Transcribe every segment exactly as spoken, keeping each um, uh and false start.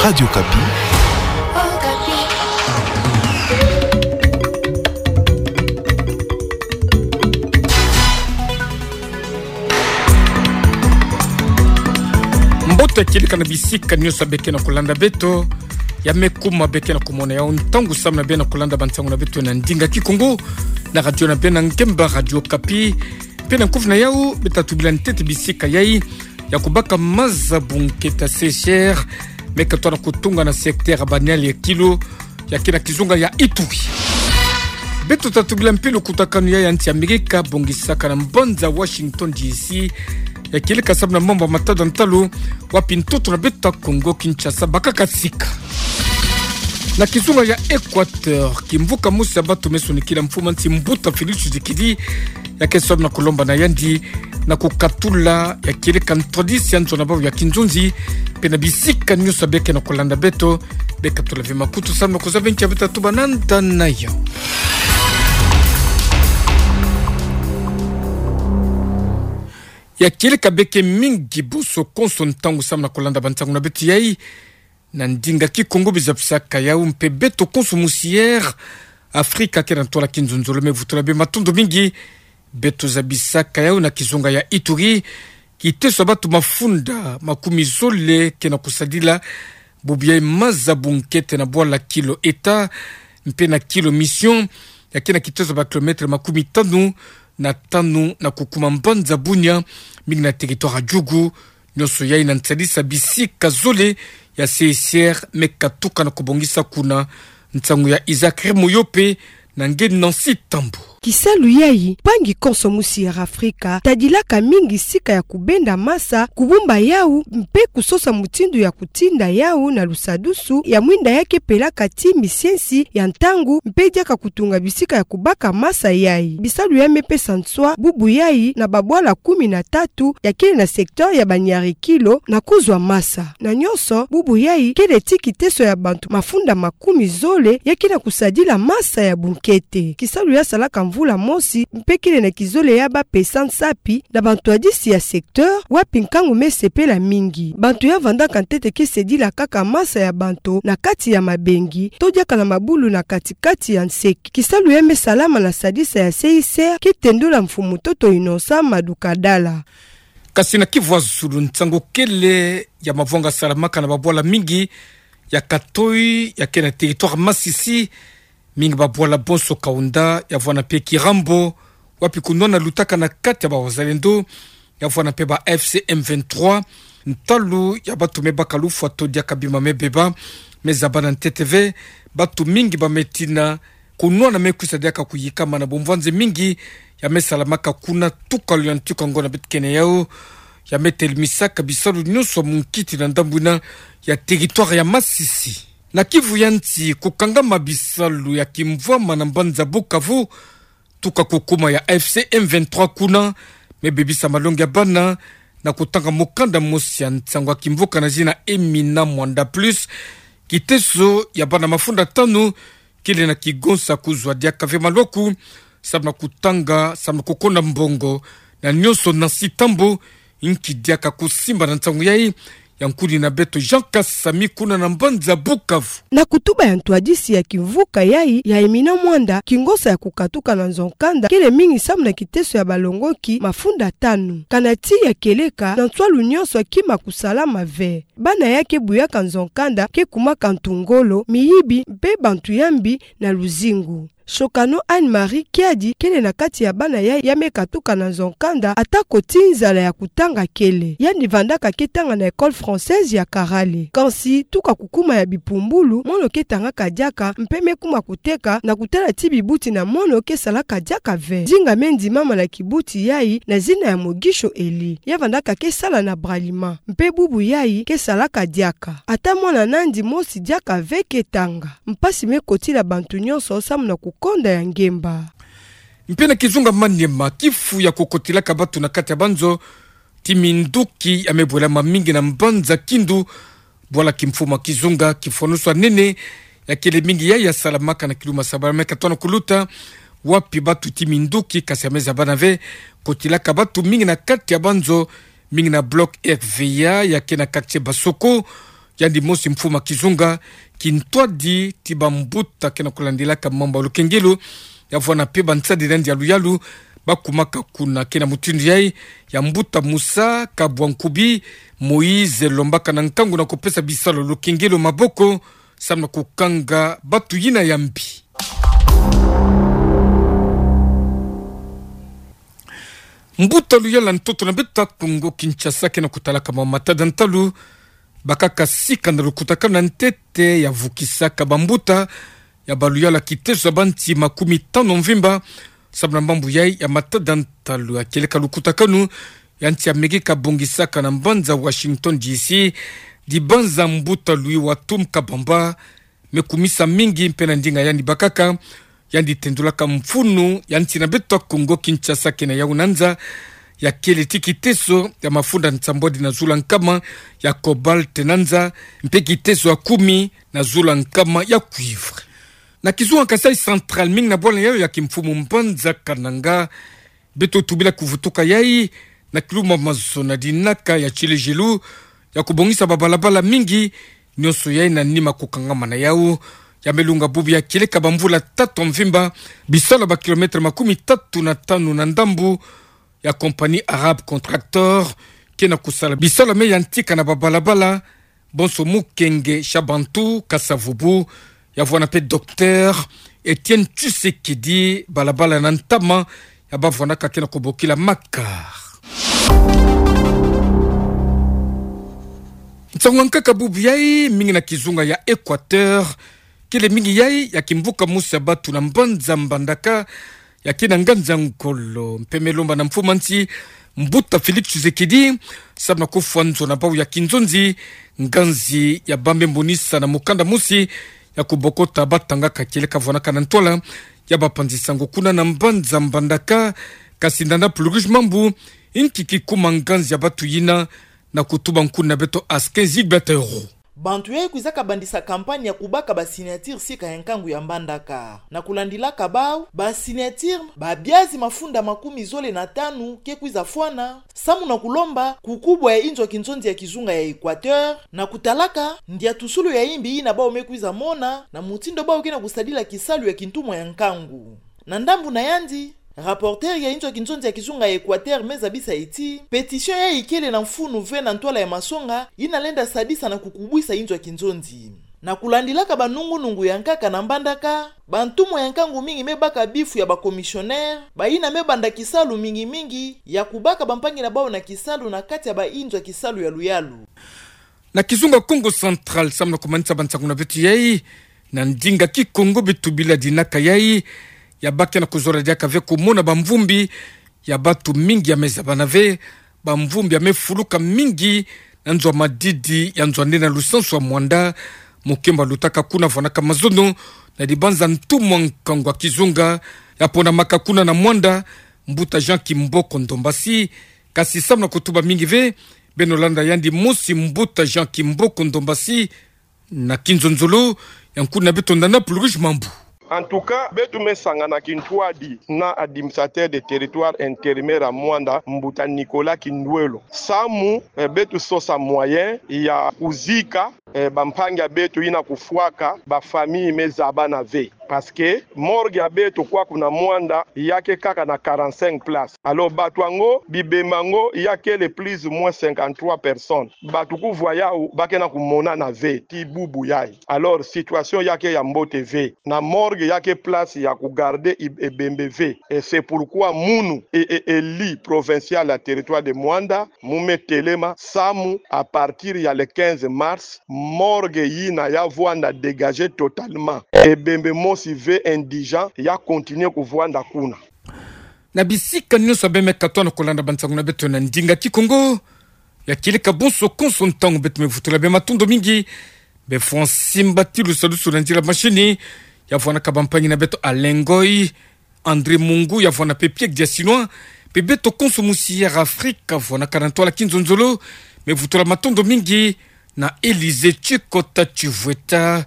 Radio Okapi. Mbote kieleka na bisika nyonso beke na kolanda beto. Ya me kuma beke na kumona yau ntangu samu na bie na kolanda bansangu na beto na ndinga Kikongo na radio na bie na ngemba Radio Okapi. Mpe na nkufi na yau, beta tubila ntete bisika yai ya kubaka maza bunkete ya C I C R me katona kutunga na secteur ya baniali ya Kilo, ya ke na kizunga ya Ituri. Beto ta tubila mpe lukutakanu ya nsi Amerika bongisaka na mbanza Washington D C, ya kieleka samu na mambu ya matada ntalu, wapi ntoto na beto ya Kongo Kinshasa bakaka sika. Na kizunga ya Equateur, kimvuka mosi ya bato me sonikila mfumu ya nsi mbuta Félix Tshisekedi, ya ke samu na kulomba na yandi na kukatula ya kieleka ntwadisi ya nzo na bau ya kinzonzi, mpe na bisika nyonso beke na kolanda beto, beka tula ve makutu samu na kuzaba nki ya beta tuba na nda na yo. Ya kieleka beke mingi bonso konso ntangu samu na kolanda bansangu na beto yai na ndinga Kikongo. Biza bisaka yau mpe beto konso musi air Afrika ke na ntwala kinzonzolo me vutula bie matondo mingi. Beto zabisaka yau na kizunga ya Ituri, kiteso ya bato mafunda makumi zole ke na kusadila bubu yai maza bunkete na bwala Kilo État mpe na Kilo Mission, ya ke na kiteso ya ba kilomètre makumi tanu na tanu na kukuma mbanza Bunia, mingi na territoire ya Djugu. Nyonso yai na nsadisa bisika zole ya C I C R me katuka na kubongisa kuna. Nsangu ya Isaac Remoyope na nge Nancy Tambo. Kisalu yai, mpangi konso musi ya Afrika tadilaka mingi sika ya kubenda masa, kubumba yau, mpe kusosa mutindu ya kutinda yau na lusadusu ya mwinda ya ke pelaka ti misiensi ya ntangu, mpe diaka kutunga bisika ya kubaka masa yai. Bisalu ya me pesa nswa bubu yai na babwala kumi na tatu ya kele na secteur ya baniari Kilo na kuzwa masa. Na nyonso, bubu yai kele ti kiteso ya bantu mafunda makumi zole ya ke na kusadila masa ya bunkete. Kisalu ya salaka mvula mosi, mpe kele na kizole ya ba pesa nsapi na bantwadisi ya secteur, wapi nkangu me sepela mingi. Bantu ya vandaka ntete ke sedila kaka masa ya bantu na kati ya mabengi, to diaka na mabulu na kati-kati ya nseki. Kisalu ya me salama na sadisa ya C I C R ke tendola mfumu ntoto Innocent Madukadala. Kasi na Kivu ya zulu, nsangu kele ya mavanga salamaka na babwala mingi ya katoi ya ke na territoire Masisi, mingi babwala bonso Kaunda, ya vwanda mpe Kirambo, wapi kunwana lutaka na kati ya ba wazalendo, ya vwanda mpe ba F C M vingt-trois, ntalu ya bato me baka lufwa to diaka bima me beba, me zabana ntete ve, bato mingi ba me tina, kunwana me kwisa diaka kuyikama na bumvwanzi mingi ya me salamaka kuna. Tuka luyantika ngo na beto kene yau, ya me telumisaka bisalu nyonso munkiti na ndambu yina ya territoire ya Masisi. Na Kivu ya nsi, kukangama bisalu ya kimvwama na mbanza Bukavu, tuka kukuma ya F C M vingt-trois kuna, me bebisa malongi ya bana na kutanga mukanda mosi ya nsangu ya kimvuka na zina Emina Mwanda Plus. Kiteso ya bana mafunda tanu kele na kigonsa kuzwa diaka ve malwaku, samu na kutanga, samu na kukonda mbongo, na nyonso na sitambo. Nki diaka kusimba na nsangu yai? Ya nkuni na beto Jean Kasami kuna na mbanza Bukavu. Na kutuba ya ntwadisi ya kimvuka yai ya Emina Mwanda, kingonsa ya kukatuka na nzo-nkanda kele mingi samu na kiteso ya balongoki mafunda tanu. Kana ti ya kieleka, na nswalu nyonso kima kusalama ve. Bana ya ke buyaka nzo-nkanda ke kumaka ntu ngolo, miyibi, mpe bantu ya mbi na luzingu. Shokano Anne-Marie Kiadi kele na kati ya bana yai ya me katuka na nzo-nkanda, atako ti nzala ya kutanga kele. Yandi vandaka ke tanga na École française ya Karale. Kansi tuka kukuma ya bipumbulu, mono ke tangaka diaka, mpe me kuma kuteka na kutala ti bibuti na mono ke salaka diaka ve. Dinga me ndimama na kibuti yai na zina ya Mogisho Eli. Ya vandaka ke sala na Bralima. Mpe bubu yai ke salaka diaka. Ata mwana nandi mosi diaka ve ke tanga. Mpasi me kotila bantu nyonso samu na kukonda ya ngemba. Mpe na kizunga Maniema, kifu ya kukotilaka bato na kati ya banzo ti minduki ya me bwelama mingi na mbanza Kindu, bwala kimfumu ya kizunga. Kifwanusu ya nene ya kele mingi yai ya salamaka na kiluma sabala me katona kuluta, wapi bato ti minduki, kasi ya me zabana ve, kotilaka bato mingi na kati ya banzo, mingi na bloc R V A ya ke na quartier Basoko, Yandi mosi mfumu a kizunga kintwadi ti bambuta ke na kulandilaka mambu ya lukengelo, ya vwanda mpe bansadi na yandi ya luyalu, bakumaka kuna. Ke na mutindu yayi, ya mbuta Musa Kabwankubi Moïse Lombaka na nkangu na kupesa bisalu ya lukengelo maboko, samu na kukanga batu yina ya mbi. Mbuta luyalu ya ntoto na beto Kongo Kinshasa ke na kutalaka mawu matada ntalu, bakaka sika na lukutakanu ya ntete ya vukisaka bambuta ya baluyalu ya kiteso ya bansi makumi tanu mvimba, samu na mambu yayi ya matada ntalu ya kieleka lukutakanu ya nsi ya mege kabongisaka na mbanza Washington D C, dibanza mbuta Louis Watum Kabamba me kumisa mingi mpe na ndinga yandi bakaka, yandi tendulaka mfunu ya nsi na beto Kongo Kinshasa ke na yawu na nza, ya kele ti kiteso ya mafunda nsambwadi na zulu ya nkama ya cobalt na nza, mpe kiteso ya kumi na zulu ya nkama ya cuivre. Na kizunga Kasaï Central, mingi na bwala yayo ya kimfumu mbanza Kananga, beto tubila kuvutuka yayi na kiluma mazo na dinaka ya tilejelu ya kubongisa babalabala mingi, nyonso yayi na nima kukangama na yawu. Ya me lunga bubu ya kieleka bamvula tatu mvimba, bisalu ya ba kilomètre makumi tatu na tanu na ndambu ya compagnie Arab Contractor ke na kusala bisalu ya me yantika na babalabala, bonso mukenge Shabantou Kasavubu, ya vwanda mpe docteur Etienne Tshisekedi, balabala na ntama ya bavwandaka ke na kubokila Makar. Nsangu ya nkaka bubu yayi, mingi na kizunga ya Équateur, kele mingi yayi ya kimvuka mosi ya batu na mbanza Mbandaka, ya ke na nganzi ya ngolo, mpe me lomba na mfumu a nsi, mbuta Félix Tshisekedi, samu na kufwa nzo na bawu ya kinzonzi, nganzi ya ba me monisa na mukanda mosi ya kubokota batanga ka kieleka vwandaka na ntwala ya bapanzi sango kuna na mbanza Mbandaka. Kasi ndanda Paul-Louis Mambu, inki kikuma nganzi ya batu yina, na kutuba nkuna na beto Askin Gilbert Euro. Bantu yayi kwizaka bandisa campagne ya kubaka ba signature sika ya nkangu ya Mbandaka. Na kulandilaka bawu, ba signature, babyazi mafunda makumi zole na tanu ke kwiza fwana, samu na kulomba kukubwa ya inzo ya kinzonzi ya kizunga ya Équateur, na kutalaka ndiatusulu ya imbi yina bawu me kwiza mona na mutindu bawu ke na kusadila kisalu ya kintumwa ya nkangu. Na ndambu na yandi, rapporteur ya inzo ya kinzonzi ya kizunga ya Équateur me zabisa ti pétition yayi kele na mfunu ve na ntwala ya masonga yina lenda sadisa na kukubwisa inzo ya kinzonzi. Na kulandilaka banungunungu ya nkaka na Mbandaka, bantumwa ya nkangu mingi me baka bifu ya ba commissionnaire, bayina me banda kisalu mingi mingi ya kubaka bampangi na bawu na kisalu na kati ya ba inzo ya kisalu ya luyalu. Na kizunga Kongo Central, samu na kumanisa bansangu na beto yayi na ndinga Kikongo, beto tubila dinaka yayi ya ba ke na kuzola diaka ve kumona bamvumbi ya batu mingi ya me zabana ve, bamvumbi ya me fuluka mingi na nzo ya madidi ya nzo ya nde na lusansu ya Muanda. Mukembo lutaka kuna vwandaka mazono na dibanza ntumwa nkangu ya kizunga ya ponamaka kuna na Muanda, mbuta Jean Kimboko Ndombasi. Kasi samu na kutuba mingi ve, beno landa yandi mosi, mbuta Jean Kimboko Ndombasi, na kinzonzolo ya nkuna na beto ndanda Paul-Louis Mambu. En tout cas, beto me sangana kintwadi na administrateur de territoire intérimaire ya Muanda, mbuta Nicolas Kindwelo, samu, eh, beto sosa moyen ya kuzika, eh, bampangi ya beto yina kufwaka, ba famille me zabana ve. Parce que morgue ya beto kwaku na Muanda ya ke kaka na quarante-cinq places. Alors, bato yango, bibembe yango ya kele plus ou moins cinquante-trois personnes. Bato kuvwa yawu, ba ke na kumonana ve tii bubu yayi. Alors, situation ya ke ya mbote ve. Na morgue ya ke place ya kugarder i-, ebembe ve. Et c'est pourquoi munu e, e, élu provincial ya territoire de Muanda, mu me telema samu, à partir ya le quinze mars, morgue yina ya vwanda dégagée totalement. Ebembe mosi ve indigent ya continuer kuvwanda kuna. Na bisika nyonso beno me katuka na kulanda bansangu na beto na ndinga Kikongo, ya kieleka bonso konso ntangu, beto me vutula beno matondo mingi. Beno fwa simba ti lusadusu na nzila machine, ya vwandaka bampangi na beto Alain Ngoy, André Mungu, ya vwanda mpe Pierre Diasinois, mpe beto konso musi Air Afrique, ya vwandaka na ntwala kinzonzolo, me vutula matondo mingi na Élysée Tshikota Tshivweta,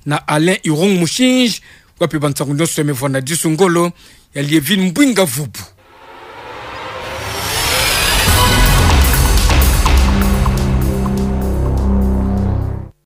na Alain Irung Mushinji, wapi bansangu nyonso ya me vwanda disu ngolo, ya Lievine Mbwinga Vubu.